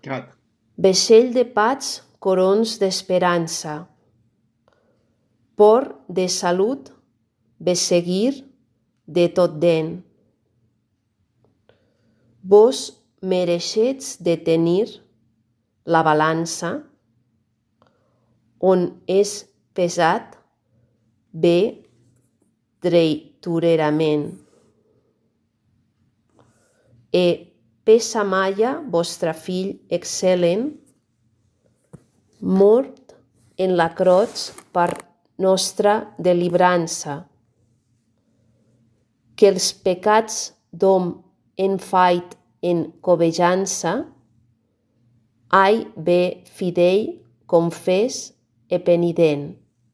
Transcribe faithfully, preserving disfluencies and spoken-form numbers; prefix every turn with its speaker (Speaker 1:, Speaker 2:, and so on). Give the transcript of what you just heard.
Speaker 1: Gat.
Speaker 2: Vaixell de pats, corons d'esperança. Por de salut, besseguir de tot den. Vos mereixets de tenir la balança, on és pesat bé dreiturerament. E pesa Maia, vostre fill excel·lent, mort en la croix per nostra delibrança, que els pecats d'hom en fait en covejança, ai bé fidei, confés e penident.